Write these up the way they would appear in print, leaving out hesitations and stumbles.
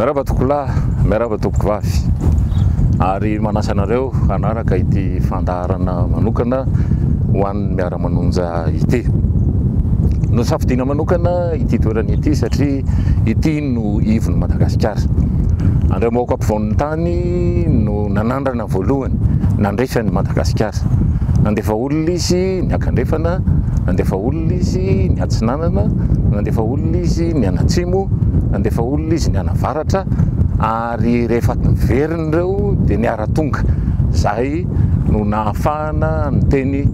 Miarahaba tompokolahy, miarahaba tompokovavy ary manasa anareo hanaraka ity fandaharana manokana ho an'ny miara-manonja ity. Nosafidiana manokana ity toerana ity satria ity no ivon'i Madagasikara. Andriambahoaka ampovoan'ny tany no nanandrana voalohany nandresy an'i Madagasikara. Nandefa olona izy niakandrefana, nandefa olona izy niatsinanana, nandefa olona izy nianatsimo, nandefa olona izy nianavaratra ary rehefa niverina ireo dia niara-tonga. Izay no nahafahana niteny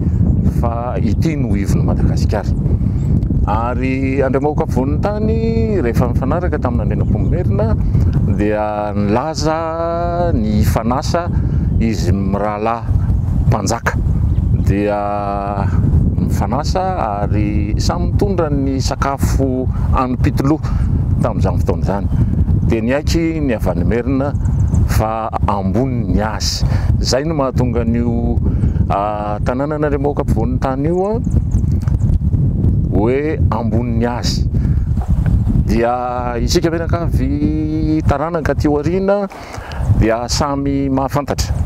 fa ity no ivon'i Madagasikara. Ary Andriamahoaka afovoan'ny tany rehefa nifanaraka tamin'Andrianampoinimerina dia nilaza ny hifanasa izy mirahalahy mpanjaka dia mifanasa ary samy mitondra ny sakafo anim-pitoloha tamin'izany fotoana izany. Dia niaiky ny avy any Merina fa ambony ny azy. Izay no mahatonga an'io tanànan'Andriambahoaka ampovoan'ny tany io hoe ambony ny azy. Dia isika mianakavy taranaka aty aoriana dia samy mahafantatra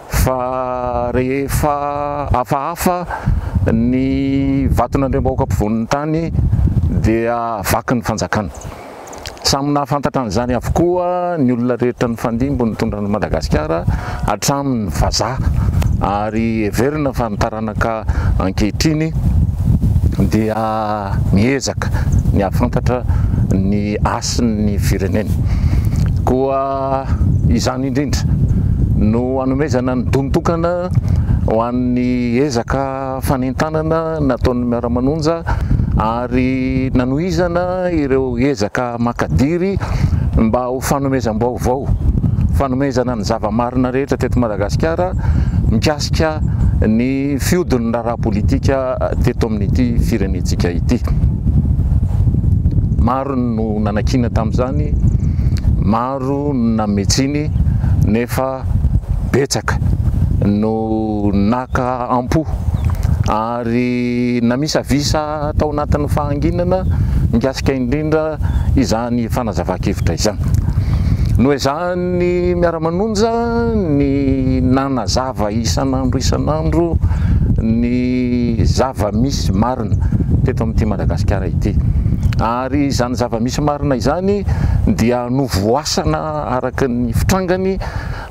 fa rehefa hafahafa ny vaton'Andriambahoaka ampovoan'ny tany dia vaky ny fanjakana. Samy nahafantatra an'izany avokoa ny olona rehetra nifandimby nitondra an'i Madagasikara hatramin'ny vazaha ary heverina fa ny taranaka ankehitriny dia miezaka ny hahafantatra ny hasin'ny firenena. Koa izany indrindra no hanomezana ny don-tokana ho an'ny ezaka fanentanana nataon'ny Miara-manonja ary nanohizana ireo ezaka makadiry mba ho fanomezam-baovao, fanomezana ny zava-marina rehetra teto Madagasikara mikasika ny fihodin'ny raharaha politika teto amin'ity firenentsika ity. Maro no nanakiana tamin'izany, maro no nanome tsiny nefa betsaka no naka am-po ary namisavisa tao anatin'ny fahanginana mikasika indrindra izany fanazavan-kevitra izany. Noezahan'ny Miara-manonja ny nanazava isan'andro isan'andro ny zava-misy marina teto amin'ity Madagasikara ity. Ary izany zava-misy marina izany dia novoasana araka ny fitrangany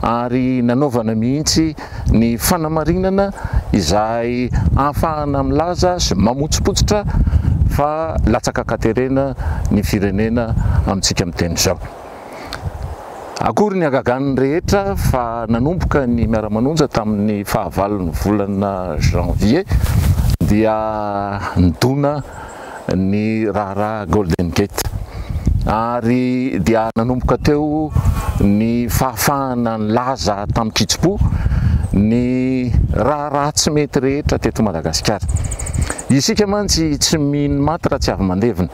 ary nanaovana mihitsy ny fanamarinana izay ahafahana milaza sy mamotsipotsitra fa latsaka an-katerena ny firenena amintsika miteny izao. Akory ny hagagan'ny rehetra fa nanomboka ny miara-manonja tamin'ny fahavalon'ny volana janvier dia nidona ny raharaha Golden Gate ary dia nanomboka teo ny fahafahana nilaza tamin-kitsim-po ny raharaha tsy mety rehetra teto Madagasikara. Isika mantsy tsy mino maty raha tsy avy mandevina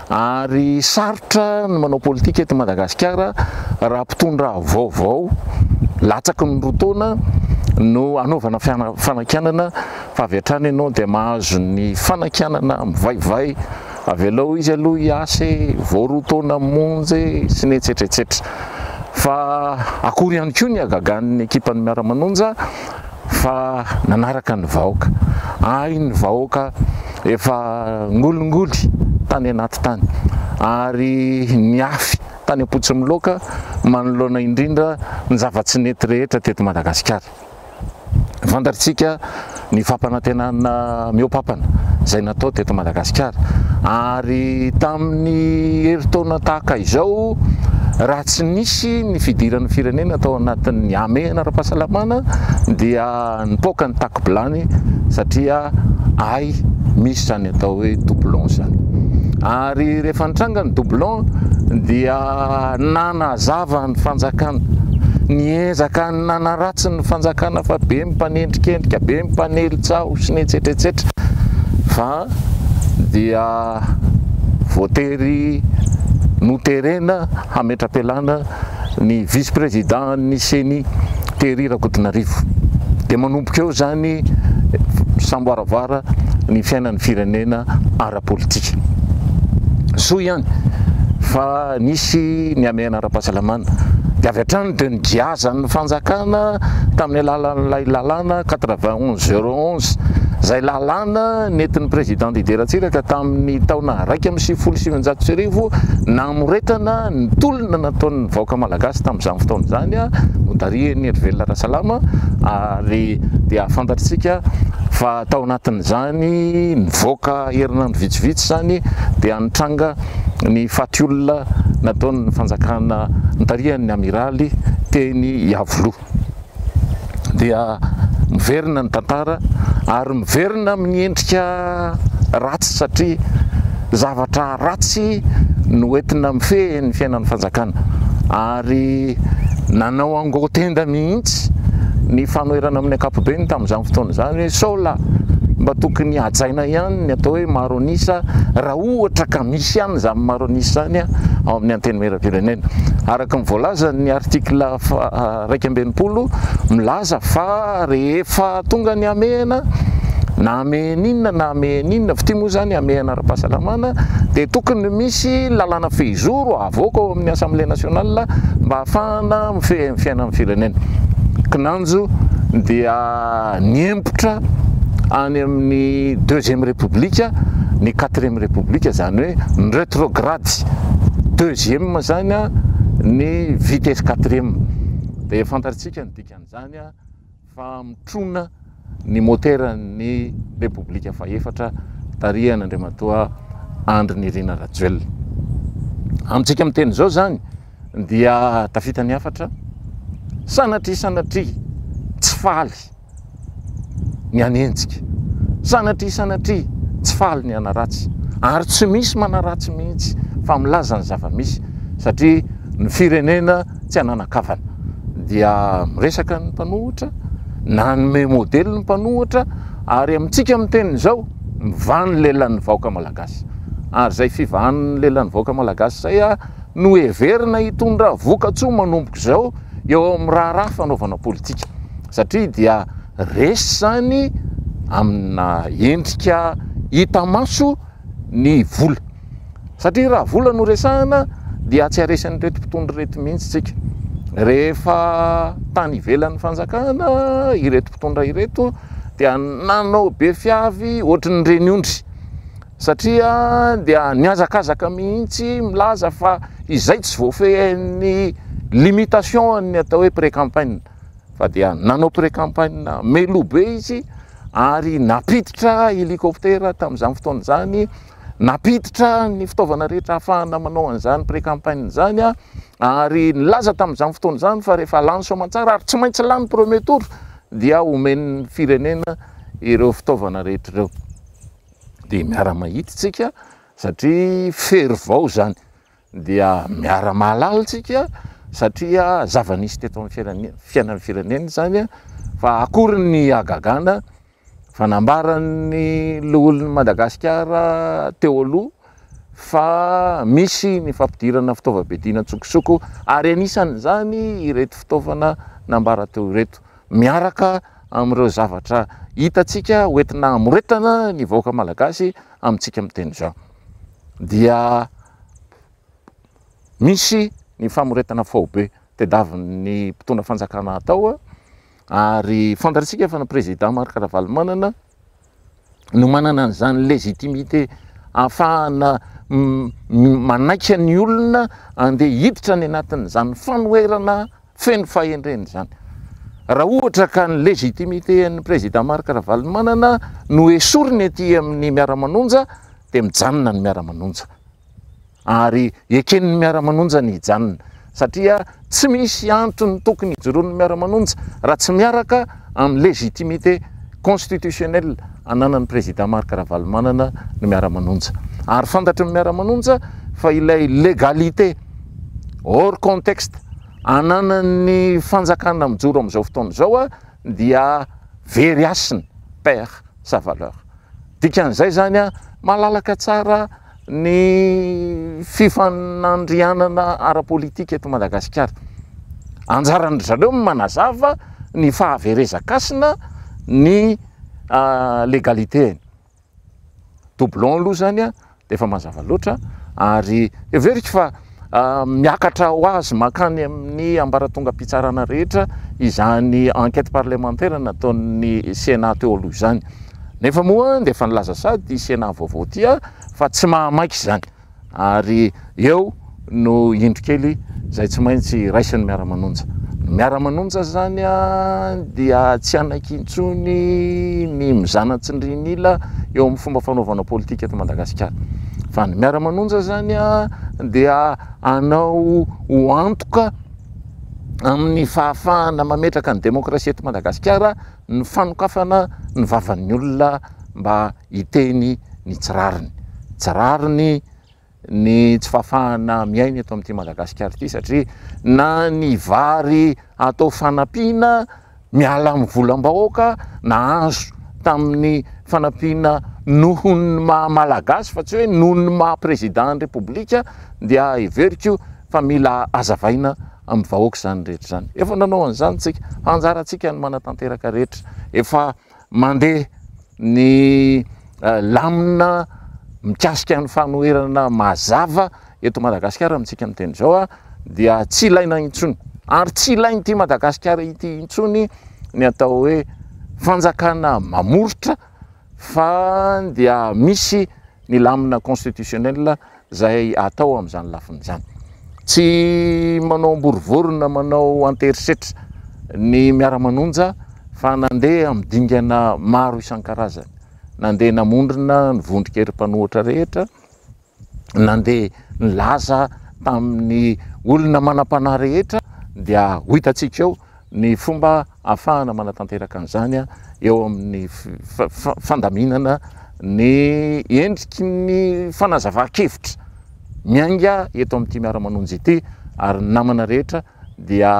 ary sarotra ny manao politika eto Madagasikara raha mpitondra vaovao latsaky ny roa taona no anaovana fanakianana fa avy hatrany ianao dia mahazo ny fanakianana mivaivay, avelao izy aloha hiasa e, vao roa taona monja e, sy ny etsetra etsetra. Fa akory ihany koa ny hagagan'ny ekipan'ny Miara-manonja fa nanaraka ny vahoaka. Hay ny vahoaka efa ngolingoly tany anaty tany ary niafy tany am-potsimiloaka manoloana indrindra ny zava-tsy nety rehetra teto Madagasikara. Fantatrtsika ny fampanantenana mihoa-pampana izay natao teto Madagasikara ary tamin'ny herintaona tahaka izao raha tsy nisy ny fidiran'ny firenena tao anatin'ny hamehana ara-pahasalamana dia nipoaka ny tako-bilany satria hay misy izany atao hoe doublon izany. Ary rehefa nitranga ny doublon dia nanazava ny fanjakana, niezaka Nanaratsy ny fanjakana fa be ny mpanendrikendrika, be ny mpanely tsaho sy ny etsetra etsetra fa dia voatery noterena hametra-pialana ny vice président ny ceni Thierry Rakotonarivo. Dia manomboka eo izany samboaravoara ny fiainan'ny firenena ara-politika. Soa ihany. fa nisy ny hamehana ara-pahasalamana. Dia avy hatrany dia nogiazan'ny fanjakana tamin'ny alalan'ilay lalàna 91 011, izay lalàna nentin'ny Président Didier Ratsiraka tamin'ny taona 1991 namoretana ny tolona nataon'ny vahoaka malagasy tamin'izany fotoana izany, notarihin'i Herivelona Rasalama, ary dia fantatritsika fa tao anatin'izany nivoaka herinandro vitsivitsy izany dia nitranga ny faty olona nataon'ny fanjakana notarihan'ny amiraly teny Iavoloha. Dia miverina ny tantara ary miverina amin'ny endrika ratsy satria zavatra ratsy no entina mifehy ny fiainan'ny fanjakana ary nanao angotenda mihitsy ny fanoherana amin'ny ankapobeny tamin'izany fotoana izany hoe sao lahy mba tokony hajaina ihany ny atao hoe maro an'isa raha ohatra ka misy ihany izany maro an'isa izany ao amin'ny antenimierampirenena. Araka ny voalazan'ny article 61 milaza fa rehefa tonga ny hamehana na hamehana inona na hamehana inona, fitia moa izany hamehana ara-pahasalamana, dia tokony misy lalàna fehizoro avoaka ao amin'ny Assemblée nationale mba hahafahana mifehy ny fiainan'ny firenena. Kinanjo dia niempotra any amin'ny deuxième république ny quatrième république, izany hoe ny rétrograde deuxième izany ny vitesse quatrième. Dia fantatsika ny dikan'izany fa mitrona ny moteran'ny Repoblika fahefatra tarihan'Andriamatoa Andry Nirina Rajoelina. Amintsika miteny izao izany dia tafita ny hafatra, sanatria sanatria tsy faly ny hanenjika, sanatria sanatria tsy faly ny hanaratsy, ary tsy misy manaratsy mihitsy fa milaza ny zava-misy satria ny firenena tsy ananan-kavana. Dia miresaka ny mpanohitra, nanome modely ny mpanohitra, ary amintsika miteny izao, mivaha ny lelan'ny vahoaka malagasy. Ary izay fivahan'ny lelan'ny vahoaka malagasy izay no heverina hitondra vokatsoa manomboka izao eo amin'ny raharaha fanaovana politika. Satria dia resy izany amina endrika hita maso ny vola. Satria raha vola no resahana dia tsy haresin'ireto mpitondra ireto mihitsy tsika. Rehefa tany ivelan'ny fanjakana ireto mpitondra ireto dia nanao be fiavy ohatry ny reny ondry. Satria dia nihazakazaka mihitsy milaza fa izay tsy voafehin'ny limitation ny atao hoe pré-campagne. Fa dia nanao pré-campagne meloa be izy ary nampiditra hélicoptère tamin'izany fotoana izany, nampiditra ny fitaovana rehetra ahafahana manao an'izany pré-campagne izany, ary nilaza tamin'izany fotoana izany fa rehefa lany soamantsara ary tsy maintsy lany premier tour dia omen'ny firenena ireo fitaovana rehetra ireo. Dia miara-mahita isika satria fery vao izany. Dia miara-mahalala isika satria zava-nisy teto amin'ny fiainan'ny firenena izany fa akory ny hagagana fa nambaran'ny loholon'i Madagasikara teo aloha fa misy ny fampidirana fitaovam-piadiana an-tsokosoko ary anisan'izany ireto fitaovana nambara teo ireto miaraka amin'ireo zavatra hitantsika hoentina hamoretana ny vahoaka malagasy amintsika miteny izao. Dia misy ny famoretana faobe tediavin'ny mpitondra fanjakana atao ary fantatsika fa ny président Marc Ravalomanana no manana an'izany légitimité ahafahana manaika ny olona andeha hiditra any anatin'izany fanoherana feno fahendrena izany. Raha ohatra ka ny légitimité an'ny président Marc Ravalomanana no esoriny aty amin'ny miara-manonja dia mijanona ny miara-manonja. Ary eken'ny miara-manonja ny hijanona satria tsy misy antony tokony hijoroan'ny miara-manonja raha tsy miaraka amin'ny légitimité constitutionnelle ananan'ny président Marc Ravalomanana ny miara-manonja. Ary fantatry ny miara-manonja fa ilay légalité hors contexte ananan'ny fanjakana mijoro amin'izao fotoana izao dia very hasina, perd sa valeur. Dikan'izay izany malalaka tsara ny fifanandrianana ara-politika eto Madagasikara. Anjaran-dry zareo ny manazava ny fahaverezan-kasina ny légalité-ny. Doublon aloha izany. dia efa mazava loatra ary heveriko fa miakatra ho azy mankany amin'ny ambaratongam-pitsarana rehetra izany enquête parlementaire nataon'ny Sénat teo aloha izany. Nefa moa dia efa nilaza sady ity Sénat vaovao ity fa tsy mahamaika izany ary eo no indro kely izay tsy maintsy raisin'ny miara-manonja. Ny miara-manonja izany dia tsy hanaiky intsony ny mizana tsindrin'ila eo amin'ny fomba fanaovana politika eto Madagasikara. Fa ny miara-manonja izany dia hanao ho antoka amin'ny fahafahana mametraka ny demokrasia eto Madagasikara ny fanokafana ny vavan'ny olona mba hiteny ny tsy rariny. Tsy rariny ny tsy fahafahana miaina eto amin'ity Madagasikara ity satria na ny vary atao fanampiana miala amin'ny volam-bahoaka na azo tamin'ny fanampiana noho ny maha Malagasy fa tsy hoe noho ny maha président ny Repoblika dia heveriko fa mila hazavaina amin'ny vahoaka izany rehetra izany. Efa nanao an'izany tsika, fa anjarantsika ny manatanteraka rehetra. Efa mandeha ny lamina mikasika ny fanoherana mazava eto Madagasikara amintsika miteny izao dia tsy ilaina intsony ary tsy ilain'ity Madagasikara ity intsony ny atao hoe fanjakana mamoritra fa dia misy ny lamina constitutionnel izay atao amin'izany lafiny izany. Tsy manao amborivorona manao anterisetra ny miara-manonja fa nandeha amin'ny dingana maro isan-karazany. Nandeha namondrona ny vondron-kery mpanohitra rehetra, nandeha nilaza tamin'ny olona manam-panahy rehetra dia ho hitantsika eo ny fomba ahafahana manatanteraka an'izany eo amin'ny fandaminana ny endriky ny fanazavan-kevitra miainga eto amin'ity miara-manonja ity ary ny namana rehetra dia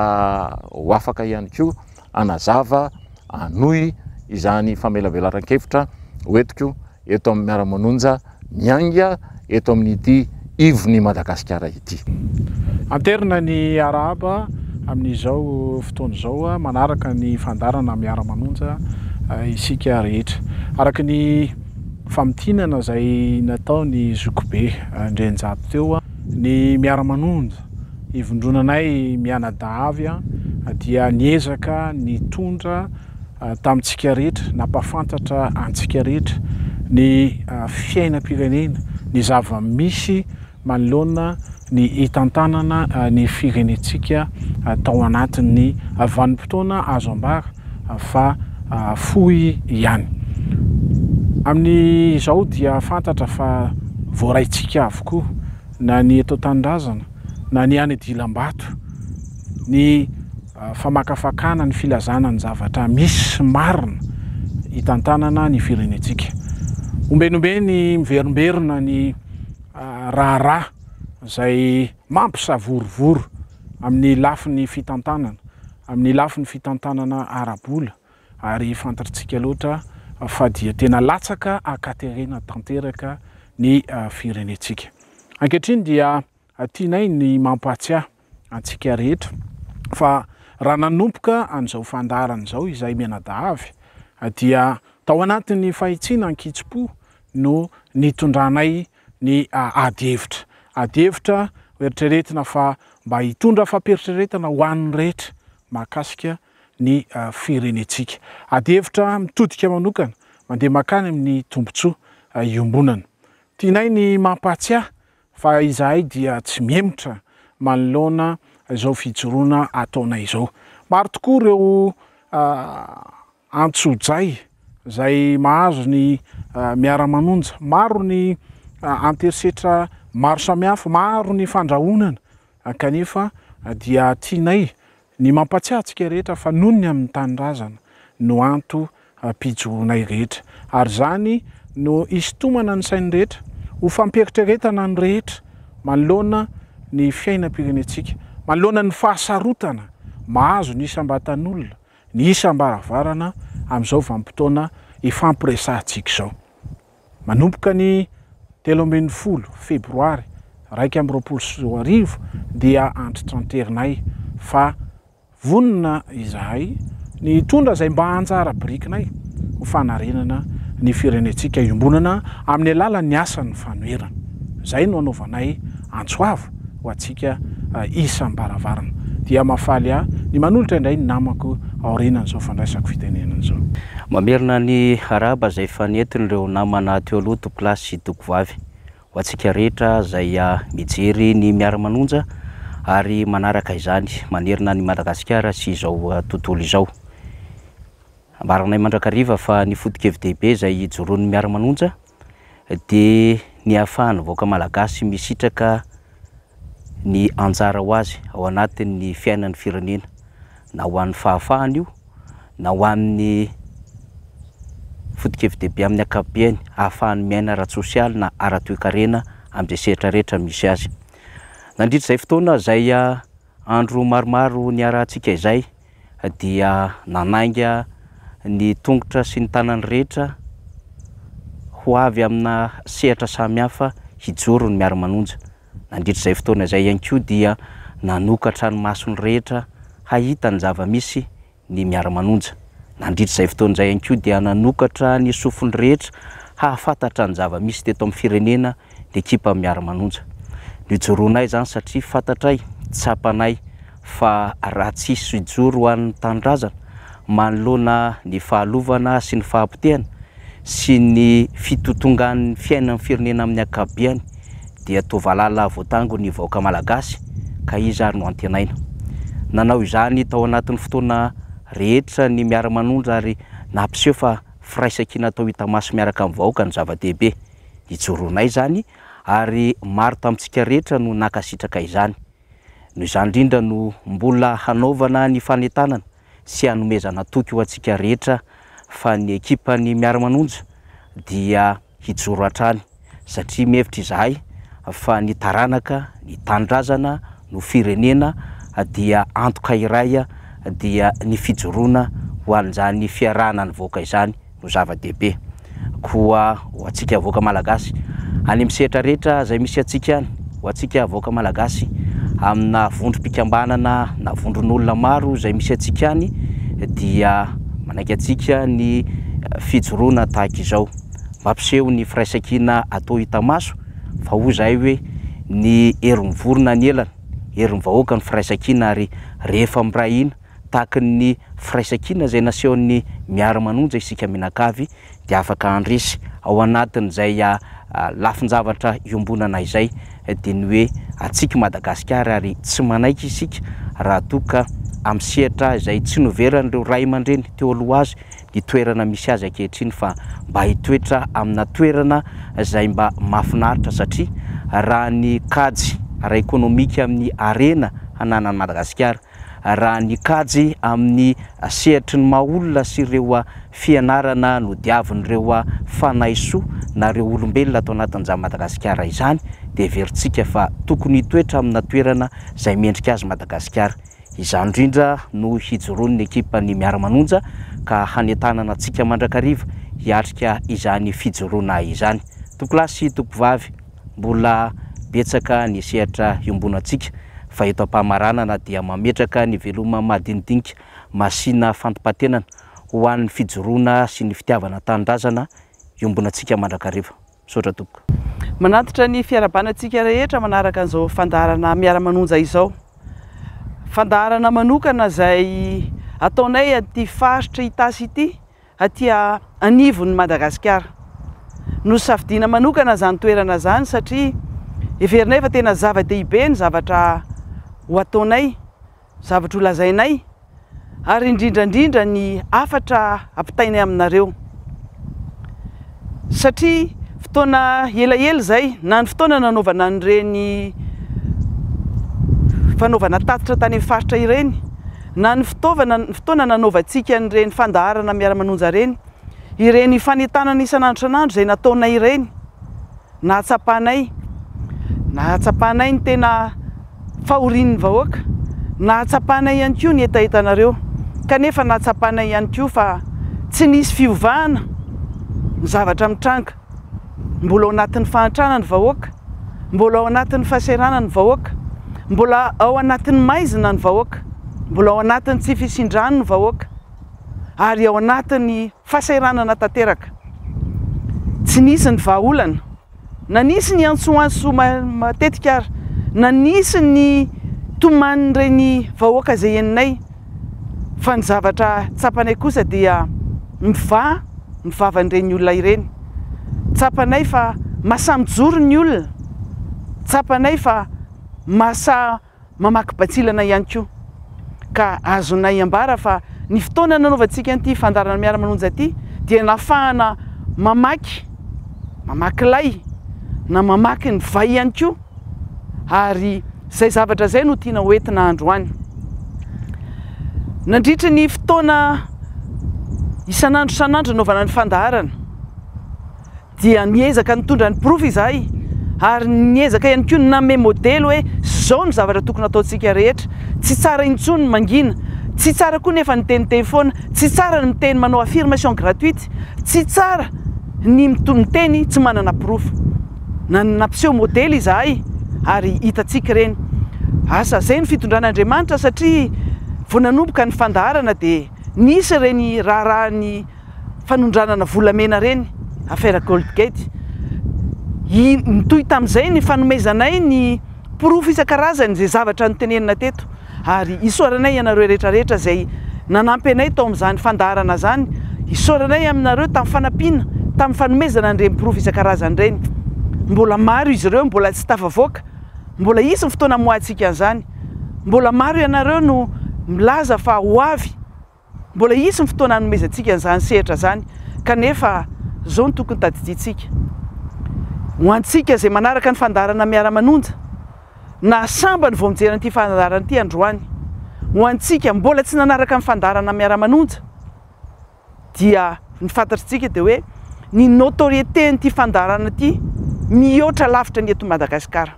ho afaka ihany koa hanazava hanohy izany famelabelaran-kevitra hoentiko eto amin'ny miara-manonja miainga eto amin'ity ivon'i Madagasikara ity. Anterina ny arahaba amin'izao fotoana izao manaraka ny fandaharana miara-manonja isika rehetra. Araka ny famintinana izay nataon'i Zokibe Andrianjato teo, ny miara-manonja ivondronanay mianadahy avy dia niezaka nitondra tamintsika rehetra, nampahafantatra antsika rehetra ny fiainam-pirenena, ny zava-misy manoloana ny hitantanana ny firenentsika tao anatin'ny vanim-potoana azo ambara fa fohy ihany. Amin'izao dia fantatra fa voaraintsika avokoa na ny eto an-tanindrazana na ny any dilam-bato ny famakafakana ny filazana ny zavatra misy sy marina hitantanana ny firenentsika. Ombenombeny miverimberina ny raharaha izay mampisavorovoro amin'ny lafiny fitantanana, amin'ny lafiny fitantanana ara-bola ary fantatrtsika loatra fa dia tena latsaka ankaterena tanteraka ny firenentsika. Ankehitriny dia tianay ny mampahatsiahy antsika rehetra fa raha nanomboka an'izao fandaharana izao izahay mianadahy avy dia tao anatin'ny fahitsiana ankitsipo no nitondranay ny ady hevitra. Ady hevitra hoeritreretina fa mba hitondra fampieritreretana ho an'ny rehetra mahakasika ny firenentsika. Ady hevitra mitodika manokana mandeha mankany amin'ny tombontsoa iombonana. Tianay ny mampahatsiahy fa izahay dia tsy mihemotra manoloana izao fijoroana ataonay izao. Maro tokoa ireo antsojay izay mahazo ny miara-manonja, maro ny anterisetra maro samihafa, maro ny fandrahonana kanefa dia tianay Ny mampatsiahy antsika rehetra fa noho ny amin'ny tanindrazana no antom-pijoroanay rehetra. Ary izany no hisintomana ny sain'ny rehetra, ho fampieritreretana ny rehetra manoloana ny fiainam-pirenentsika, manoloana ny fahasarotana mahazo ny isam-batan'olona, ny isam-baravarana amin'izao vanim-potoana ifampiresahantsika izao. Manomboka ny 13 febroary 2021 dia antitranterinay fa vonona izahay ny hitondra izay mba anjara birikinay ho fanarenana ny firenentsika iombonana amin'ny alalan'ny asan'ny fanoherana. Izay no anaovanay antso avo ho antsika isam-baravarana. Dia mahafaly ahy ny manolotra indray ny namako aorianan'izao fandraisako fitenenana izao. Mamerina ny arahaba izay efa nentin'ireo namana teo aloha tompokolahy sy tompokovavy. Ho antsika rehetra izay mijery ny miara-manonja ary manaraka izany manerana an'i Madagasikara sy izao tontolo izao. Ambaranay mandrakariva fa ny foto-kevi-dehibe izay ijoroan'ny miara-manonja dia ny ahafahan'ny vahoaka malagasy misitraka ny anjara ho azy ao anatin'ny fiainan'ny firenena, na ho an'ny fahafahana io, na ho an'ny foto-kevi-dehibe amin'ny ankapobeny ahafahany miaina ara-tsosialy na ara-toekarena amin'izay sehatra rehetra misy azy. Nandritra izay fotoana izay andro maromaro niarahantsika izay dia nanainga ny tongotra sy ny tanany rehetra ho avy amina sehatra samihafa hijoro ny miara-manonja. Nandritra izay fotoana izay ihany koa dia nanokatra ny masony rehetra hahita ny zava-misy ny miara-manonja. Nandritra izay fotoana izay ihany koa dia nanokatra ny sofiny rehetra hahafantatra ny zava-misy teto amin'ny firenena ny ekipa miara-manonja. Nijoroanay izany satria fantatray, tsapanay fa raha tsy hisy hijoro ho an'ny tanindrazana manoloana ny fahalovana sy ny fahapotehana sy ny fitotongan'ny fiainan'ny firenena amin'ny ankapobeany dia toa valala voatango ny vahoaka malagasy ka iza ary no antenaina? Nanao izany tao anatin'ny fotoana rehetra ny miara-manondra ary nampiseho fa firaisankina atao hita maso miaraka amin'ny vahoaka no zava-dehibe. Nijoroanay izany ary maro tamintsika rehetra no nankasitraka izany. Noho izany indrindra no mbola hanaovana ny fanentanana sy hanomezana toky ho antsika rehetra fa ny ekipan'ny miara-manonja dia hijoro hatrany satria mihevitra izahay fa ny taranaka, ny tanindrazana no firenena dia antoka iray dia ny fijoroana ho an'izany fiarahana nivoaka izany no zava-dehibe. Koa ho antsika vahoaka Malagasy any amin'ny sehatra rehetra izay misy antsika any, ho antsika vahoaka Malagasy amina vondrom-pikambanana na vondron'olona maro izay misy antsika any dia manaiky antsika ny fijoroana tahaka izao. Mampiseho ny firaisankina atao hita maso fa hoy izahay hoe ny herin'ny vorona ny elany, herin'ny vahoaka ny firaisankina ary rehefa miray hina tahaka ny firaisankina izay nasehon'ny miara-manonja isika mianakavy dia afaka handresy ao anatin'izay lafin-javatra iombonana izay dia ny hoe antsika Madagasikara ary tsy manaiky isika raha toa ka amin'ny sehatra izay tsy noveran'ireo ray aman-dreny teo aloha azy ny toerana misy azy ankehitriny fa mba hitoetra amina toerana izay mba mahafinaritra satria raha ny kajy ara-ekonomika amin'ny harena hananan'i Madagasikara raha ny kajy amin'ny sehatry ny maha olona sy ireo fianarana nodiavin'ireo fanahy soa na ireo olombelona ato anatin'izany Madagasikara izany dia heverintsika fa tokony hitoetra amina toerana izay mendrika azy Madagasikara. Izany indrindra no hijoroan'ny ekipan'ny Miara-manonja ka hanentanana antsika mandrakariva hiatrika izany fijoroana izany. Tompokolahy sy tompokovavy, mbola betsaka ny sehatra iombonantsika fa eto am-pamaranana dia mametraka ny veloma madinidinika masina fantimpatenana ho an'ny fijoroana sy ny fitiavana tanindrazana iombonantsika mandrakariva. Misaotra tompoko. Manatitra ny fiarahabana antsika rehetra manaraka an'izao fandaharana Miara-manonja izao. Fandaharana manokana izay ataonay aty faritra Itasy ity aty anivon'i Madagasikara. Nosafidiana manokana izany toerana izany satria heverinay fa tena zava-dehibe ny zavatra ho ataonay, zavatra ho lazainay ary indrindra indrindra ny hafatra ampitainay aminareo. Satria fotoana elaela izay, na ny fotoana nanaovana an'ireny fanaovana tatitra tany amin'ny faritra ireny, na ny fitaovana, ny fotoana nanaovantsika an'ireny fandaharana miara-manonja ireny, ireny fanentanana isan'andro isan'andro izay nataonay ireny, nahatsapanay, nahatsapanay ny tena fahorian'ny vahoaka, nahatsapanay ihany koa ny hetahetanareo, kanefa nahatsapanay ihany koa fa tsy nisy fiovana ny zavatra mitranga, mbola ao anatin'ny fahantrana ny vahoaka, mbola ao anatin'ny fahasahiranana ny vahoaka, mbola ao anatin'ny maizina ny vahoaka, mbola ao anatin'ny tsy fisian-drano ny vahoaka, ary ao anatin'ny fahasahiranana tanteraka. Tsy nisy ny vahaolana. Na nisy ny antsoantso matetika ary, na nisy ny tomanin'ireny vahoaka izay henonay, fa ny zavatra tsapanay kosa dia mivaha ny vavan'ireny olona ireny. Tsapanay fa mahasahy mijoro ny olona, tsapanay fa mahasahy mamaky batsilana ihany koa. Ka azonay ambara fa ny fotoana nanaovantsika an'ity fandaharana Miara-manonja ity dia nahafahana mamaky, mamaky lay na mamaky ny vay ihany koa ary izay zavatra izay no tiana hoentina androany. Nandritry ny fotoana isan'andro isan'andro nanaovana ny fandaharana, dia niezaka nitondra ny porofo izahay ary niezaka ihany koa nanome modely hoe izao no zavatra tokony hataontsika rehetra, tsy tsara intsony ny mangina, tsy tsara koa nefa ny miteniteny foana, tsy tsara ny miteny manao affirmation gratuite, tsy tsara ny miteny tsy manana porofo. Nampiseho modely izahay ary hitantsika ireny. Asa izay ny fitondran'Andriamanitra satria vao nanomboka ny fandaharana dia nisy ireny raharahan'ny fanondranana volamena ireny, affaire Goldgate. Nitohy tamin'izay ny fanomezanay ny porofo isan-karazany izay zavatra notenenina teto ary isaoranay ianareo rehetra rehetra izay nanampy anay tao amin'izany fandaharana izany, isaoranay aminareo tamin'ny fanampiana, tamin'ny fanomezana an'ireny porofo isan-karazany ireny. Mbola maro izy ireo mbola tsy tafavoaka, mbola hisy ny fotoana hamoahantsika an'izany. Mbola maro ianareo no milaza fa ho avy. Mbola hisy ny fotoana hanomezantsika an'izany sehatra izany, kanefa izao no tokony tadidiantsika, ho antsika izay manaraka ny fandaharana Miara-manonja, na sambany vao mijery an'ity fandaharana ity androany, ho antsika mbola tsy nanaraka ny fandaharana Miara-manonja, dia ny fantatritsika dia hoe ny notoriété-n'ity fandaharana ity mihoatra lavitra ny eto Madagasikara.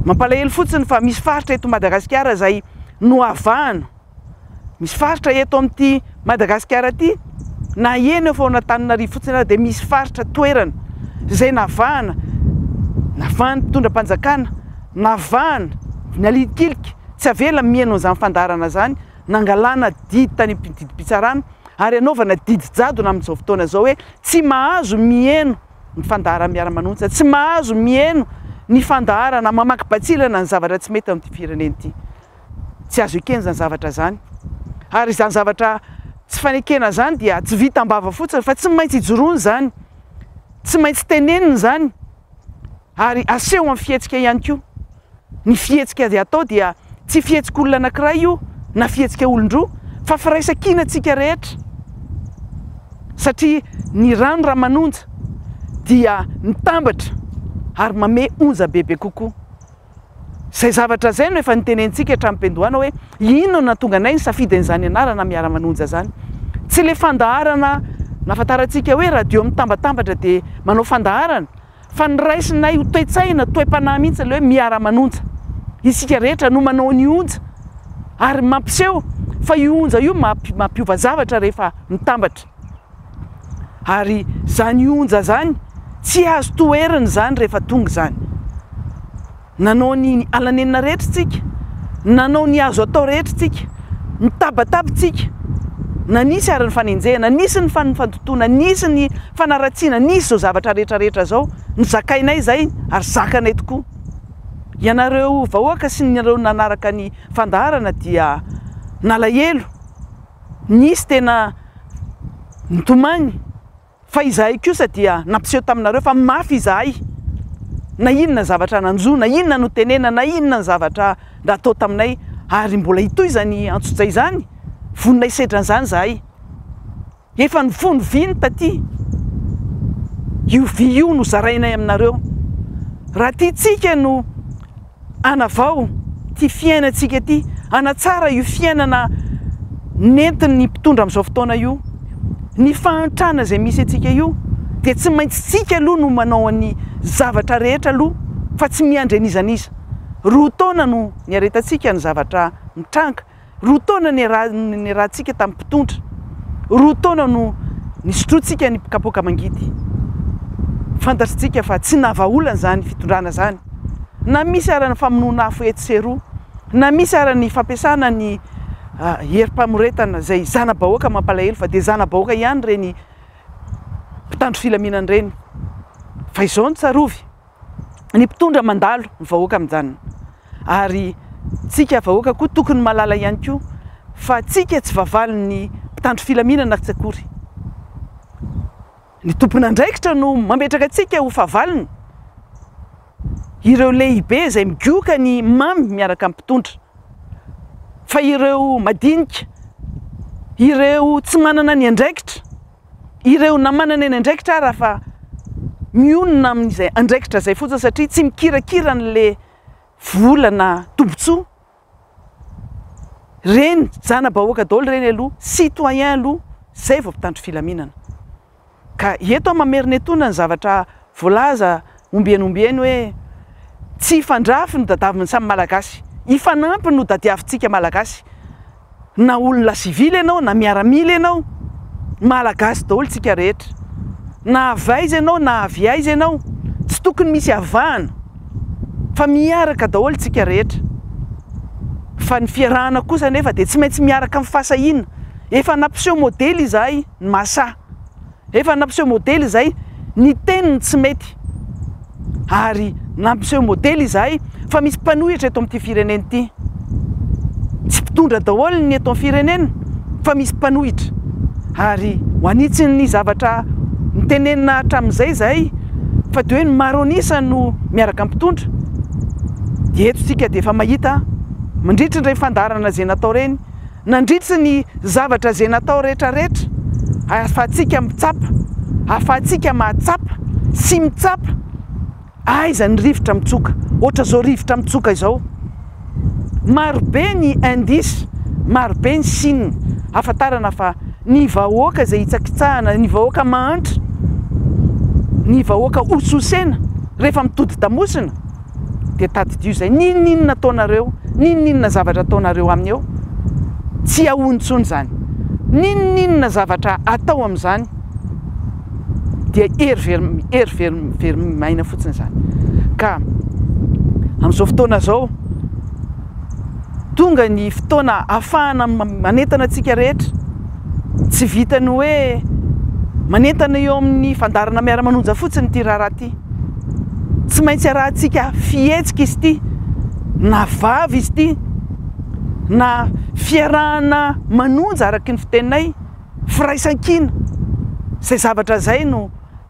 Mampalahelo fotsiny fa misy faritra eto Madagasikara izay nohavahana. Misy faritra eto amin'ity Madagasikara ity, na eny afovoan'Antananarivo fotsiny ary dia misy faritra toerana izay navahana, navahan'ny mpitondra mpanjakana, navahana, nalikilika, tsy avela mihaino an'izany fandaharana izany, nangalana didy tany amin'ny didim-pitsarana ary anaovana didy jadona amin'izao fotoana izao hoe tsy mahazo mihaino ny fandaharana miara-manonja, tsy mahazo miheno ny fandaharana mamaky batsilana ny zavatra tsy mety amin'ity firenena ity. Tsy azo ekena izany zavatra izany. Ary izany zavatra tsy fanekena izany dia tsy vita am-bava fotsiny fa tsy maintsy ijoroana izany, tsy maintsy tenenina izany ary aseho amin'ny fihetsika ihany koa. Ny fihetsika izay atao dia tsy fihetsik'olona anankiray io na fihetsika olon-droa fa firaisan-kinantsika rehetra satria ny rano raha manonja dia mitambatra ary mame onja bebe kokoa. Izay zavatra izay no efa nitenentsika hatramin'ny-piandohana hoe inona no nahatonga anay nisafidy an'izany anarana miara-manonja izany. Tsy ilay fandaharana nahafantarantsika hoe radio mitambatambatra dia manao fandaharana Fa ny raisinay ho toe-tsaina, toe-panahy mihitsy ilay hoe miara-manonja. Isika rehetra no manao ny onja ary mampiseho fa io onja io mampiova zavatra rehefa mitambatra. Ary izany onja izany tsy azo toherina izany rehefa tonga izany. Nanao ny alanenina rehetra tsika, nanao ny azo atao rehetra tsika, nitabataba tsika, na nisy ary ny fanenjehana, nisy ny fandotoana, nisy ny fanaratsiana, nisy izao zavatra rehetra rehetra izao, nozakainay izay ary zakanay tokoa. Ianareo vahoaka sy nareo nanaraka ny fandaharana dia nalahelo, nisy tena nitomany, Fa izahay kosa dia nampiseho taminareo fa mafy izahay, na inona zavatra nanjo, na inona notenena, na inona ny zavatra natao taminay, ary mbola hitohy izany antsojay izany, vonona hisedra an'izany izahay. Efa nifono vy ny taty, io vy io no zarainay aminareo. Raha tiantsika no hanavao ity fiainantsika ity, hanatsara io fiainana nentin'ny mpitondra amin'izao fotoana io, ny fahantrana izay misy antsika io, dia tsy maintsy tsika aloha no manao ny zavatra rehetra aloha fa tsy miandry an'iza n'iza. Roa taona no niaretantsika ny zavatra mitranga. Roa taona niarahantsika tamin'ny mpitondra. Roa taona no nisotroantsika ny kapoaka mangidy. Fantatritsika fa tsy nahavaolana izany fitondrana izany. Na misy ara ny famonoana afo etsy sy eroa, na misy ara ny fampiasana ny herim-pamoretana izay zana-bahoaka mampalahelo fa dia zana-bahoaka ihany ireny mpitandro filaminana ireny. Fa izao no tsarovy, ny mpitondra mandalo, ny vahoaka mijanona. Ary tsika vahoaka koa tokony mahalala ihany koa fa tsika tsy vavalon'ny mpitandro filaminana tsy akory. Ny tompon'andraikitra no mametraka antsika ho fahavalony. Ireo lehibe izay migoka ny mamy miaraka amin'ny mpitondra. Fa ireo madinika, ireo tsy manana ny andraikitra, ireo na manana ny andraikitra ara fa mionona amin'izay andraikitra izay fotsiny satria tsy mikirakira an'le vola na tombontsoa, reny zana-bahoaka daholo ireny aloha, citoyen aloha, zay vao mpitandro filaminana. Ka eto aho mamerina etoana ny zavatra voalaza ombieny ombieny hoe tsy hifandrafy no tadiavin'ny samy Malagasy, hifanampy no tadiavintsika Malagasy, na olona sivily ianao na miaramila ianao, Malagasy daholo tsika rehetra, na avy aiza ianao na avy aiza ianao, tsy tokony misy avahana fa miaraka daholo tsika rehetra, fa ny fiarahana kosa anefa dia tsy maintsy miaraka amin'ny fahasahiana, efa nampiseho modely izahay ny mahasahy. Efa nampiseho modely izahay ny teniny tsy mety ary nampiseho modely izahay fa misy mpanohitra eto amin'ity firenena ity. Tsy mpitondra daholo ny eto amin'ny firenena fa misy mpanohitra ary ho anitsin'ny zavatra nitenenina hatramin'izay izahay fa dia hoe ny maro an'isa no miaraka amin'ny mpitondra dia eto isika dia efa mahita mandritry ireny fandaharana izay natao ireny. Nandritry ny zavatra izay natao rehetra rehetra ahafahantsika mitsapa, ahafahantsika mahatsapa sy mitsapa aiza ny rivotra mitsoka, ohatra izao rivotra mitsoka izao. Maro be ny indice, maro be ny signe ahafantarana fa ny vahoaka izay hitsakitsahana, ny vahoaka mahantra, ny vahoaka hososena rehefa mitodi-damosina, dia tadidio izay, n'inon'inona ataonareo, n'inon'inona zavatra ataonareo aminy eo, tsy ahoany intsony izany, n'inon'inona zavatra atao amin'izany dia hery very, hery very, very maina fotsiny izany. Ka amin'izao fotoana izao, tonga ny fotoana ahafahana manentana antsika rehetra, tsy vitan'ny hoe manentana eo amin'ny fandaharana miara-manonja fotsiny ity raharaha ity. Tsy maintsy arahantsika fihetsika izy ity, na vava izy ity, na fiarahana manonja araka ny fiteninay, firaisankina. Izay zavatra izay no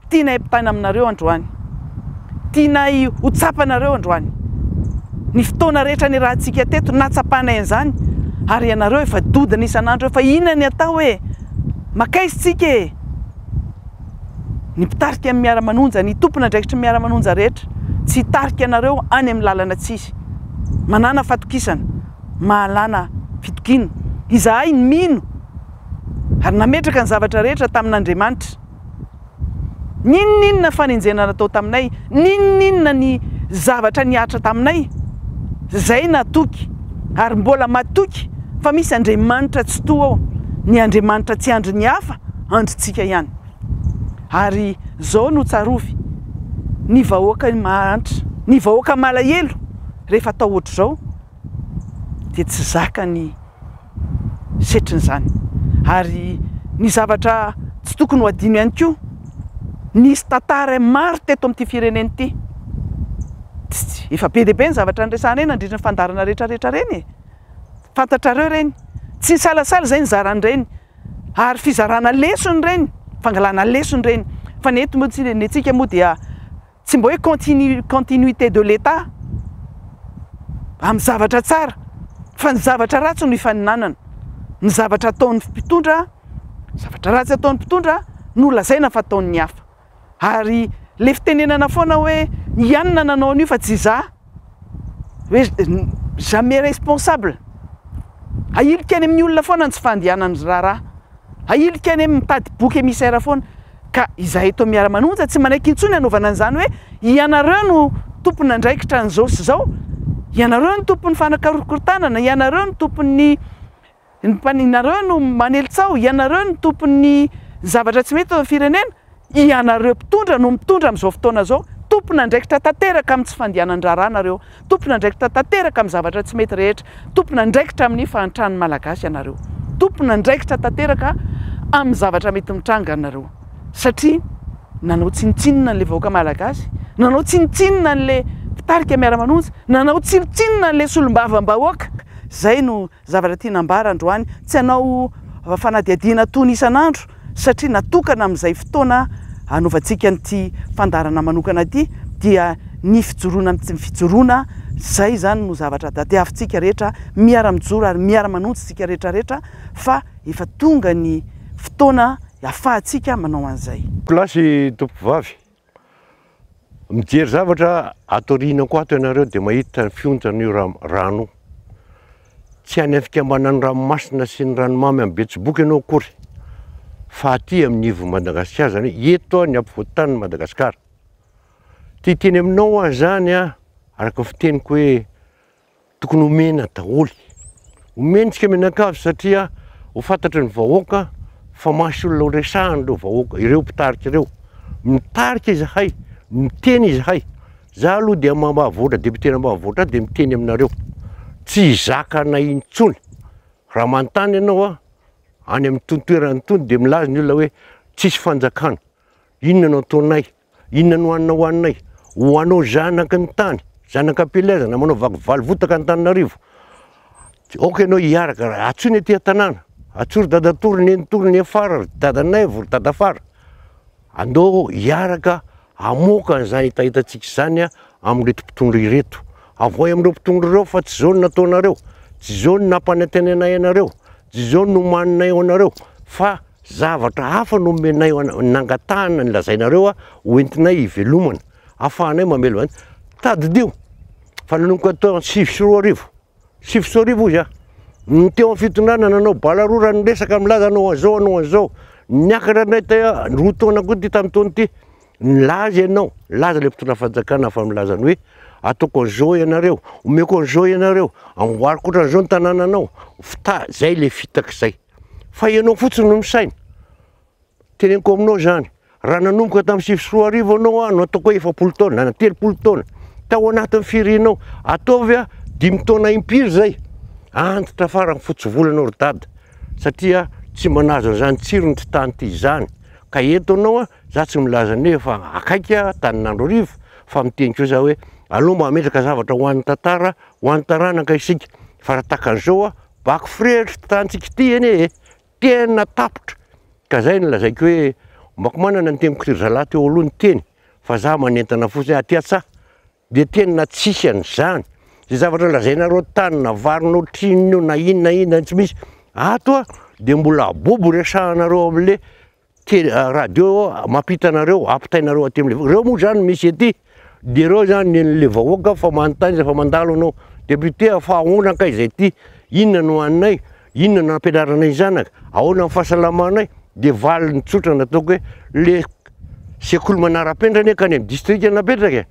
tianay ampitaina aminareo androany. Tianay ho tsapanareo androany. Ny fotoana rehetra niarahantsika teto, nahatsapanay an'izany, ary ianareo efa dodona isan'andro hoe fa inona ny atao e? Makaiza isika e? Ny mpitarika ny miara-manonja, ny tompon'andraikitry ny miara-manonja rehetra, tsy hitarika anareo any amin'ny lalana tsy izy. Manàna fatokisana, mahalana fitokiana. Izahay mino ary nametraka ny zavatra rehetra tamin'Andriamanitra. N'inon'inona fanenjehana natao taminay, n'inon'inona ny zavatra nihatra taminay, izay natoky ary mbola matoky fa misy Andriamanitra Tsitoha ao, ny Andriamanitra tsy andrin'ny hafa, andrintsika ihany. Ary izao no tsarovy, ny vahoaka mahantra, ny vahoaka malahelo rehefa atao ohatr'izao dia tsy zaka ny setrin'izany. Ary ny zavatra tsy tokony ho adino ihany koa, nisy tantara maro teto amin'ity firenena ity. Efa be dia be ny zavatra niresahanay nandritra ny fandaharana rehetra rehetra ireny e! Fantatrareo ireny. Tsy nisalasala izay nizara an'ireny. Ary fizarana lesona ireny, fangalana lesona ireny. Fa ny eto moa tsy, ny antsika moa dia tsy mba hoe continu, continuité de l'Etat amin'ny zavatra tsara, fa ny zavatra ratsy no ifaninanana. Ny zavatra ataon'ny mpitondra, zavatra ratsy ataon'ny mpitondra no lazaina fa ataon'ny hafa. Ary le fitenenana foana hoe i anona nanao an'io fa tsy izaho, hoe jamais responsable. Ahilika any amin'ny olona foana ny tsy fandehanan'ny raharaha. Ahilika any amin'ny mitady bouc émissaire foana. Ka izahay eto Miara-manonja tsy manaiky intsony hanaovana an'izany hoe ianareo no tompon'andraikitra an'izao sy izao, ianareo no tompon'ny fanakorokorontanana, ianareo no tompon'ny Ny mpaninareo no manely tsaho, ianareo no tompon'ny zavatra tsy mety eto amin'ny firenena, ianareo mpitondra no mitondra amin'izao fotoana izao, tompon'andraikitra tanteraka amin'ny tsy fandehanan-draharaha nareo, tompon'andraikitra tanteraka amin'ny zavatra tsy mety rehetra, tompon'andraikitra amin'ny fahantran'ny Malagasy ianareo, tompon'andraikitra tanteraka amin'ny zavatra mety mitranga ianareo, satria. Nanao tsinontsinona an'ilay vahoaka malagasy, nanao tsinontsinona an'ilay mpitarika miara-manonja, nanao tsinontsinona an'ilay solombavambahoaka. Izay no zavatra tiana ambara androany. Tsy hanao fanadihadiana tony isan'andro satria natokana amin'izay fotoana hanaovantsika an'ity fandaharana manokana ity dia ny fijoroana amin'ny fijoroana, izay izany no zavatra tadiavintsika rehetra, miara-mijoro ary miara-manonja isika rehetra rehetra fa efa tonga ny fotoana afahantsika manao an'izay. Kilasy tompovavy, mijery zavatra ato aoriana koa ato ianareo dia mahita ny fionjan'io rano io. Tsy any amin'ny fikambanan'ny ranomasina sy ny ranomamy amin'ny Betsiboka ianao akory fa aty amin'ny ivon'i Madagasikara, izany hoe eto ny ampovoan-tanin'i Madagasikara. Te hiteny aminao aho izany araka ny fiteniko hoe Tokony omena daholo. Omentsika mianakavy satria ho fantatry ny vahoaka fa masy olona ho resahana ireo vahoaka, ireo mpitarika ireo. Mitarika izahay, miteny izahay. Za aloha dia maha-voatra, député n'Ambanivohitra dia miteny aminareo. Tsy hizaka anay intsony. Raha manontany ianao an, any amin'itony toerana itony dia milaza ny olona hoe tsisy fanjakana. Inona no ataonay? Inona no hanina hohaninay? Ho anao zanaky ny tany, zanak'ampielezana, manao vaky valovotaka Antananarivo. Aoka ianao hiaraka, antsoy ny aty an-tanàna, antsoy ry dadatoa, ry nenitoa, ry nefara, ry dadanaivo, ry dadafara. Andao hiaraka hamoaka an'izany hetahetantsika izany amin'ireto mpitondra ireto. Avoahy amin'ireo mpitondra ireo fa tsy izao no nataonareo, tsy izao no nampanantenanay anareo, tsy izao no nomaninay ho anareo fa Zavatra hafa no omenay nangatahana ny lazainareo ho entinay hivelomana, ahafahanay mamelona. Tadidio fa nanomboka tao 2009, 2009 hozy aho, ny teo amin'ny fitondrana nanao bala roa raha niresaka milaza hanao an'izao hanao an'izao, niakatra indray teo 2 taona koa ity tamin'ny taona ity, nilaza ianao, nilaza ilay mpitondra fanjakana fa milaza ny hoe ataoko an'izao ianareo, omeko an'izao ianareo, amboariko ohatran'izao ny tanànanao, fita-, zay ilay fitaka izay. Fa ianao fotsiny no misaina. Teneniko aminao izany, raha nanomboka tamin'ny 2009 ianao aho no ataoko hoe 40 taona na 30 taona, tao anatin'ny firenao, ataovy aho dimy taona impiry izay, antitra farany fotsy volo ianao ry dada, satria tsy manazo an'izany tsirony ity tany ity izany. Ka eto ianao, za tsy milaza ny hoe efa akaiky Antananarivo, fa miteny kosa aho hoe aleo mba hametraka zavatra ho an'ny tantara, ho an'ny taranaka isika, fa raha tahaka an'izao Vaky firehitra ity tanintsika ity anie e! Tena tapitra! Ka zay no lazaiko hoe mbako manana ny teniko ry zalahy teo aloha niteny fa za manentana fotsiny hoe aty an-tsaha dia tena tsisy an'izany. Zay zavatra lazainareo tany na vary notr'inona io na inona na inona tsy misy. Ato a dia mbola bobo resahanareo amle Tele, radio mampita anareo, ampitainareo aty amle, reo moa zany misy ety, de reo zany nenle vahoaka fa manontany izy fa mandalo anao, député fa ahoana kay zay ty, inona no haninay, inona no ampianaranay ny zanaka, ahoana ny fahasalamanay, de valiny tsotra nataoko hoe le sekoly manara-penitra anie ka any amin'ny distrika napetraka e,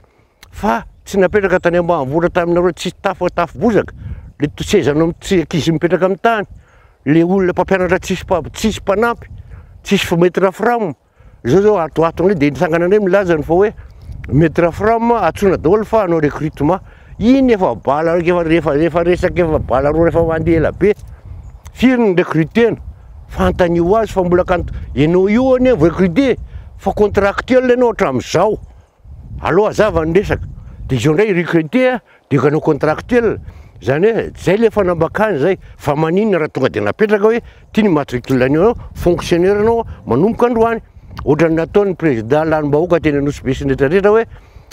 fa tsy napetraka tany ambanivohitra taminareo tsisy tafo tafo bozaka, le sezanao tsy ankizy mipetraka amin'ny tany, le olona mpampianatra tsisy tsisy mpanampy, tsisy maître fram, zao zao ato ato indray de nitsangana indray milaza ny fa hoe maître fram antsoina daholo fa hanao recrutement, iny efa bala efa rehefa efa resaka efa bala roa efa mandeha ela be, firy ny recrutena, fantanio azy fa mbola kant ianao io anie vao recruter fa contractuel ianao hatramin'izao. Aleo hazava ny resaka, de izao indray recruter de hanao contractuel, zany hoe zay le fanambakana zay, fa maninona raha tonga de napetraka hoe ty ny matricule anao, fonctionnaire anao manomboka androany, ohatran'ny nataon'ny président lanim-bahoaka teny Anosibe sy ny rehetra rehetra hoe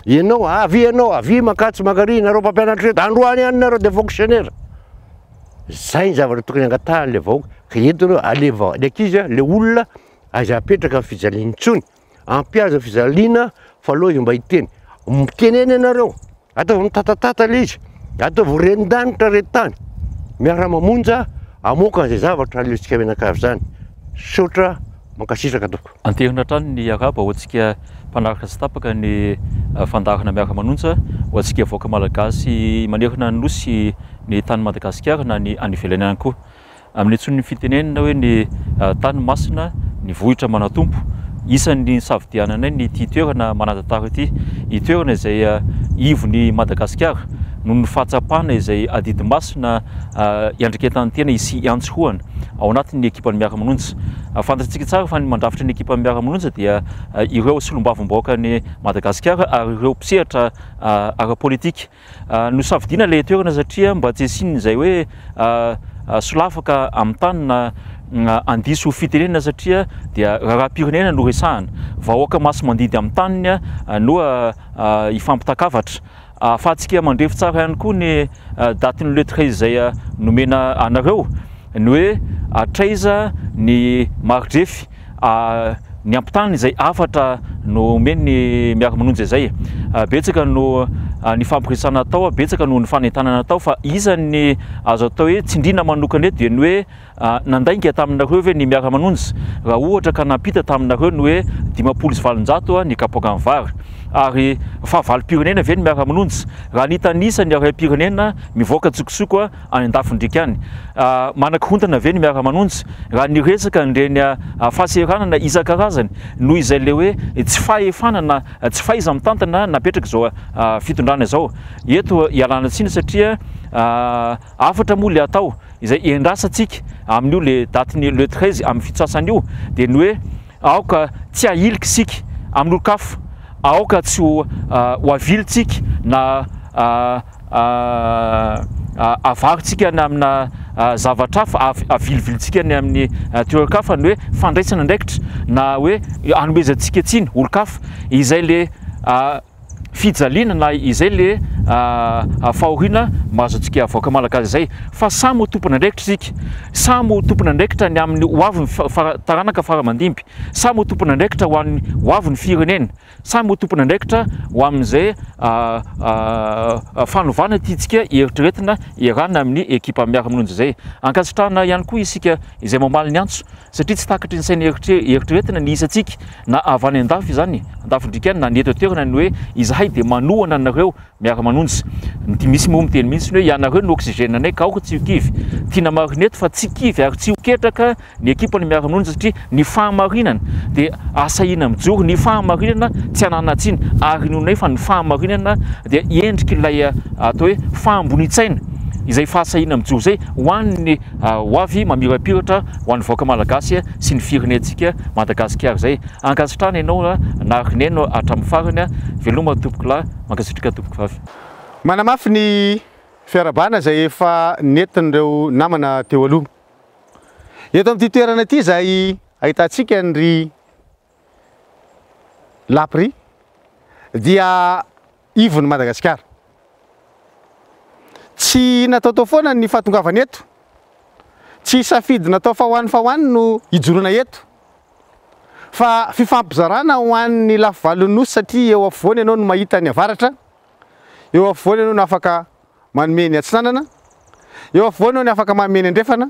ianao avia ianao avia mankatsy mankary nareo mpampianatra reto androany ihany nareo de fonctionnaire, zay ny zavatra tokony angatahan'le vahoaka, ka eto nareo aleva ny ankizy le olona aiza apetraka ny fijaliana intsony. Ampiaza fijaliana fa aleo izy mba hiteny. Mitenena ianareo, ataovy mitatatata ilay izy, ataovy ren-danitra ren-tany. Miara-mamonja hamoaka an'izay zavatra aleontsika mianakavy izany. Misaotra, mankasitraka tompoko. Anterina hatrany ny arahaba ho antsika mpanaraka tsy tapaka ny fandaharana Miara-manonja, ho antsika vahoaka malagasy manerana ny Nosy ny tany Madagasikara na ny any ivelany ihany koa. Amin'ny antsoin'ny fitenenana hoe ny tany masina, ny vohitra manan-tompo. Isan'ny nisafidiananay ny ity toerana manan-tantara ity. Ny toerana izay ivon'i Madagasikara. noho ny fahatsapana izay adidy masina iandraiketan'ny tena sy iantsohana ao anatin'ny ekipan'ny Miara-Manonja. Fantatsika tsara fa ny mandrafitra ny ekipan'ny Miara-Manonja dia ireo solombavambahoakan'i Madagasikara ary ireo mpisehatra ara-politika. Nosafidiana ilay toerana satria mba tsy hisian'izay hoe solafaka amin'ny tany na handiso fitenenana satria dia raharaham-pirenena no resahana. Vahoaka masi-mandidy amin'ny taniny no hifampitakavatra. Ahafahantsika mandrefy tsara ihany koa ny datin'ny le 13 izay nomena anareo, ny hoe hatraiza ny mari-drefy ny ampitany izay hafatra nomen'ny Miara-Manonja izay. Betsaka no ny fampiresahana atao, betsaka no ny fanentanana atao fa isan'ny azo atao hoe tsindriana manokana eto dia ny hoe Nandainga taminareo ve ny Miara-Manonja raha ohatra ka nampita taminareo ny hoe 850 ny kapoakan'ny vary? Ary fahavalom-pirenena ve ny Miara-Manonja raha nitanisa ny harem-pirenena mivoaka an-tsokosoko any an-dafin-driaka any? Manakorontana ve ny Miara-Manonja raha niresaka an'ireny fahasahiranana isan-karazany noho izay ilay hoe tsy fahefana na tsy fahaiza-mitantana napetrak'izao fitondrana izao? Eto ialana tsiny satria Hafatra moa le atao izay endrasantsika amin'io le datin'ny le 13 amin'ny fitsasana io dia ny hoe aoka tsy hahilika isika amin'olon-kafa, aoka tsy ho ho avilintsika na avarintsika any amina zavatra hafa, avilivilintsika any amin'ny toeran-kafa ny hoe fandraisana andraikitra na hoe anomezantsika tsiny olon-kafa izay le fijaliana na izay le fahoriana mahazo antsika vahoaka malagasy izay fa samy ho tompon'andraikitra isika, samy ho tompon'andraikitra ny amin'ny ho avin'ny taranaka fara aman-dimby, samy ho tompon'andraikitra ho an'ny ho avin'ny firenena, samy ho tompon'andraikitra ho amin'izay fanovana tiantsika eritreretina iarahana amin'ny ekipa miara-mononjy izay. Ankasitrahana ihany koa isika izay mamaly ny antso satria tsy takatry ny saina eritreretina ny isantsika na avy any an-dafy izany, an-dafin-driaka any na ny eto an-toerana ny hoe izahay dia manohana anareo miara-manonja. Ny misy moa miteny mihitsy ny hoe ianareo no oxygène anay ka aoka tsy ho kivy. Tiana marina eto fa tsy kivy ary tsy ho ketraka ny ekipan'ny miara-manonja satria ny fahamarinana dia asahiana mijoro, ny fahamarinana tsy ananan-tsiny ary inoanay fa ny fahamarinana dia endrik'ilay atao hoe fahambonian-tsaina izay fahasahiana mijoro izay ho an'ny ho avy mamirapiratra ho an'ny vahoaka malagasy sy ny firenentsika Madagasikara izay. Ankasitrahana ianao naharineno hatramin'ny farany. Veloma tompokolahy, mankasitraka tompokovavy. Manamafy ny fiarahabana izay efa nentin'ireo namana teo aloha. Eto amin'ity toerana ity izay ahitantsika an'ry Lapri dia ivon'i Madagasikara. Tsy nataotao foana ny fahatongavana eto. Tsy safidy natao fa ho any fa ho any no hijoroana eto. Fa fifampizarana ho an'ny lafivalon'ny Nosy satria eo afovoany ianao no mahita ny avaratra, eo afovoany ianao no afaka manome ny atsinanana, eo afovoany ianao no afaka manome ny andrefana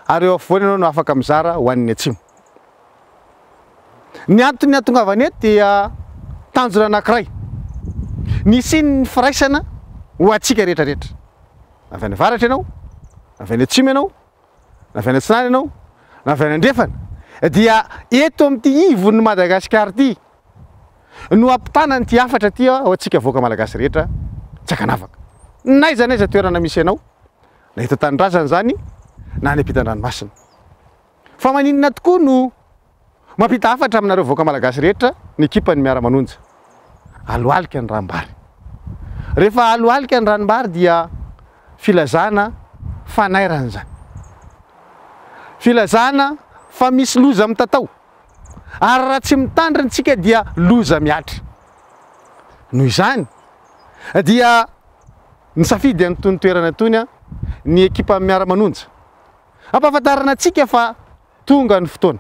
ary eo afovoany ianao no afaka mizara ho an'ny atsimo. Ny antony hahatongavana eto dia tanjona anankiray, ny hisian'ny firaisana ho antsika rehetra rehetra. Na avy any avaratra ianao, na avy any atsimo ianao, na avy any atsinanana ianao, na avy any andrefana, dia eto amin'ity ivon'i Madagasikara ity no hampitana an'ity hafatra ity ho antsika vahoaka malagasy rehetra tsy ankanavaka. N'aiza n'aiza toerana misy anao, na eto an-tanindrazana izany, na any ampitan-dranomasina. Fa maninona tokoa no mampita hafatra aminareo vahoaka malagasy rehetra ny ekipan'ny Miara-manonja? Alohalika ny ranombary. Rehefa alohalika ny ranombary dia filazana fanairana izany. Filazana fa misy loza mitatao. Ary raha tsy mitandrina isika dia loza mihatra. Noho izany dia nisafidy an'itony toerana itony ny ekipan'ny Miara-manonja. Ampahafantarina antsika fa tonga ny fotoana.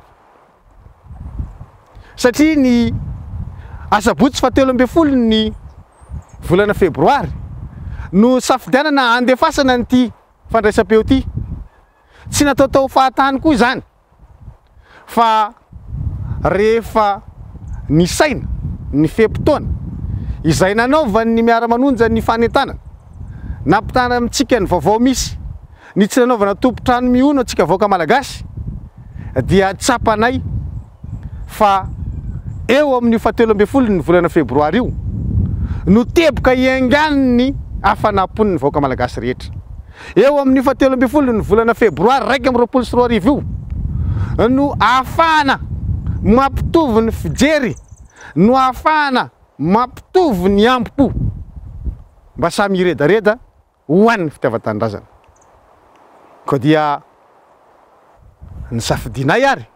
Satria ny asabotsy faha 13 ny volana febroary no safidianana handefasana an'ity fandraisam-peo ity. Tsy nataotao fahatany koa izany. fa rehefa nisaina ny fe-potoana izay nanaovan'ny Miara-manonja ny fanentanana, nampitana amintsika ny vaovao misy, ny tsy nanaovana tompon-trano mihono antsika vahoaka Malagasy, dia tsapanay fa eo amin'io faha 13 ny volana febroary io no teboka hiaingan'ny. hafanam-pon'ny vahoaka malagasy rehetra. Eo amin'io fahatelo ambin'ny folo ny volana febroary 2021 io no ahafahana mampitovy ny fijery, no ahafahana mampitovy ny ambo-po mba samy hiredareda ho an'ny fitiavan-tanindrazana. Koa dia nisafidianay ary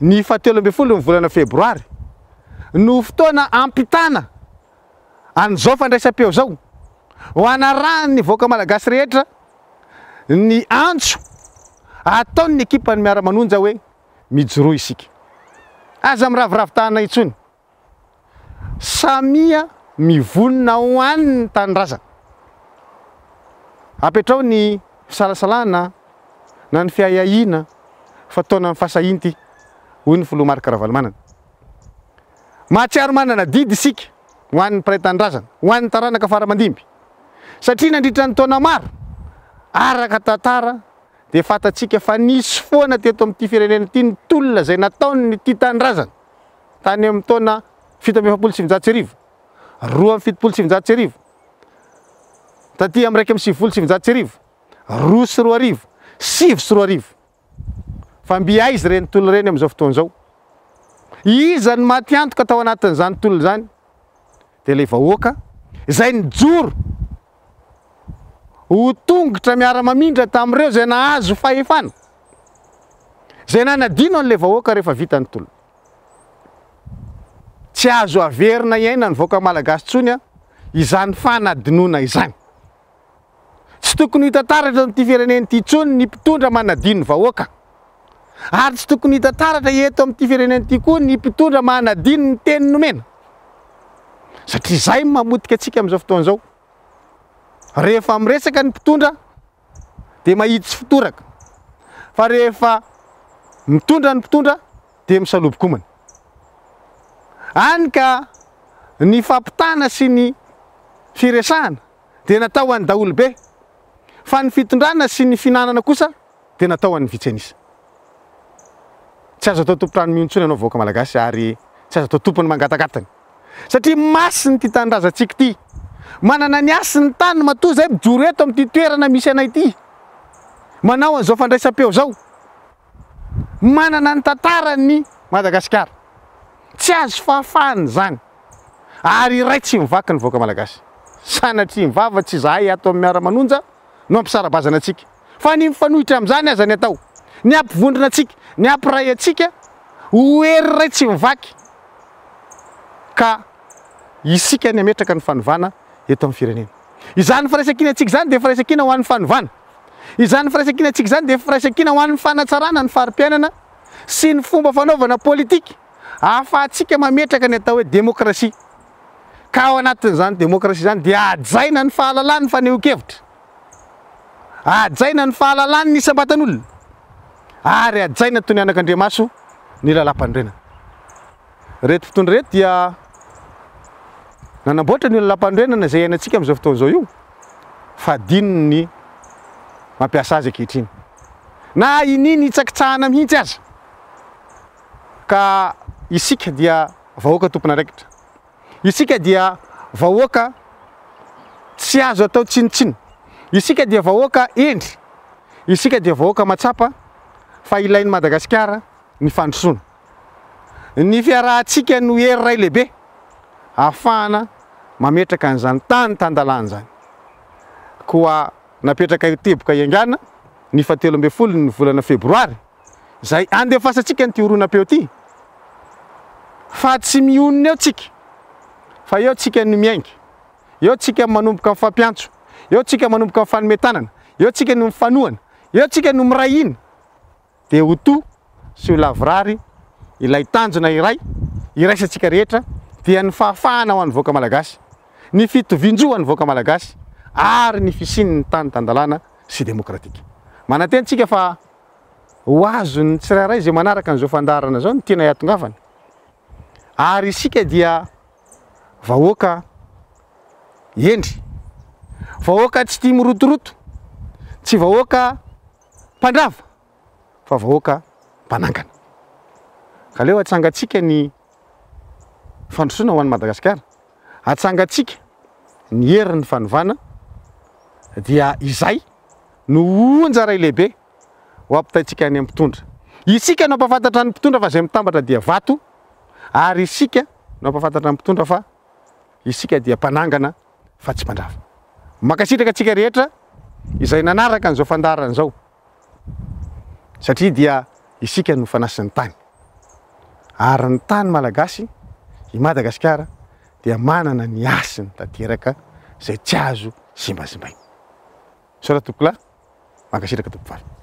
ny fahatelo ambin'ny folo ny volana febroary no fotoana hampitana an'izao fandraisam-peo izao ho hanarahan'ny vahoaka malagasy rehetra ny antso ataon'ny ekipan'ny Miara-manonja hoe mijoroa isika. Aza miraviravy tanana intsony. Samia mivonona ho an'ny tanindrazana. Apetraho ny fisalasalana na ny fiahiahiana fa taonan'ny fahasahiana ity, hoy ny filoha Marc Ravalomanana. Mahatsiaro manana adidy isika ho an'ny mpiray tanindrazana, ho an'ny taranaka fara aman-dimby. Satria nandritra ny taona maro, araka tantara dia fantatsika fa nisy foana teto amin'ity firenena ity ny tolona izay nataon'ny tia tanindrazana tany amin'ny taona 1947, 1972, taty amin'ny 1991, 2002, 2009. Fa mby aiza ireny tolona ireny amin'izao fotoana izao? Iza no maty antoka tao anatin'izany tolona izany? Dia ilay vahoaka izay nijoro ho tongotra miara-mamindra tamin'ireo izay nahazo fahefana, izay nanadino an'ilay vahoaka rehefa vita ny tolona. Tsy azo averina iainan'ny vahoaka malagasy intsony izany fanadinoana izany. Tsy tokony ho hita taratra eto amin'ity firenena ity intsony ny mpitondra manadino ny vahoaka. Ary tsy tokony hita taratra eto amin'ity firenena ity koa ny mpitondra manadino ny teny nomena. Satria izay no mamotika antsika amin'izao fotoana izao. Rehefa miresaka ny mpitondra dia mahitsy fitoraka. Fa rehefa mitondra ny mpitondra dia misalobo-komana. Any ka ny fampitana sy ny firesahana dia natao ho an'ny daholobe, fa ny fitondrana sy ny fihinanana kosa dia natao ho an'ny vitsy an'isa. Tsy azo atao tompon-trano mihontsona ianao vahoaka malagasy ary tsy azo atao tompony mangatakatany satria masina ity tanindrazantsika ity. Manana ny hasiny ny tany matoa izay mijoro eto amin'ity toerana misy anay ity manao an'izao fandraisam-peo izao. Manana ny tantarany Madagasikara. Tsy azo fahafahana izany. Ary iray tsy mivaky ny vahoaka malagasy. Sanatria ny vava tsy izahay ato amin'ny Miara-manonja no hampisara-bazana antsika. Fa ny mifanohitra amin'izany aza ny atao. Ny hampivondrona antsika, ny hampiray antsika ho hery iray tsy mivaky. Ka isika ny hametraka ny fanovana eto amin'ny firenena. Izany firaisankinantsika izany dia firaisankina ho an'ny fanovana. Izany firaisankinantsika izany dia firaisankina ho an'ny fanatsarana ny fari-piainana sy ny fomba fanaovana politika ahafahantsika mametraka ny atao hoe demokrasia. Ka ao anatin'izany demokrasia izany dia hajaina ny fahalalan'ny fanehoan-kevitra, hajaina ny fahalalan'ny isam-batan'olona ary hajaina toy ny anakandriamaso ny lalàmpanorenana. Ireto mpitondra ireto dia nanamboatra an'io lalàmpanorenana izay iainantsika amin'izao fotoana izao io fa adinony ny mampiasa azy ankehitriny. Na iniany hitsakitsahana mihitsy aza. Ka isika dia vahoaka tompon'andraikitra. Isika dia vahoaka tsy azo atao tsinontsinona. Isika dia vahoaka hendry. Isika dia vahoaka mahatsapa fa ilain'i Madagasikara ny fandrosoana. Ny fiarahantsika no hery iray lehibe ahafahana mametraka an'izany tany tan-dalàna izany. Koa napetraka io teboka iangana ny fahatelo ambin'ny folo ny volana febroary izay andefasantsika an'ity horonam-peo ity fa tsy mionona eo tsika fa eo tsika no miainga, eo tsika manomboka mifampiantso, eo tsika manomboka mifanome tanana, eo tsika no mifanohana, eo tsika no miray hina. dia ho to sy ho lavorary ilay tanjona iray iraisantsika rehetra dia ny fahafahana ho an'ny vahoaka malagasy, ny fitovian-jo ho an'ny vahoaka malagasy ary ny fisian'ny tany tan-dalàna sy demokratika. Manantena isika fa ho azon'ny tsirairay izay manaraka an'izao fandaharana izao ny tiana hiatongavana ary isika dia vahoaka hendry, vahoaka tsy tia mirotoroto, tsy vahoaka mpandrava fa vahoaka mpanangana. Ka aleo atsangantsika ny fandrosoana ho an'i Madagasikara, atsangantsika ny herin'ny fanovana. Dia izay no onja iray lehibe ho ampitaintsika any amin'ny mpitondra. Isika no hampahafantatra ny mpitondra fa izay mitambatra dia vato, ary isika no hampahafantatra ny mpitondra fa isika dia mpanangana fa tsy mpandrava. Mankasitraka antsika rehetra izay nanaraka an'izao fandaharana izao satria dia isika no fanasin'ny tany. Ary ny tany malagasy, i Madagasikara, dia manana ny hasiny tanteraka izay tsy azo zimbazimbaina. Misaotra tompokolahy, mankasitraka tompovavy.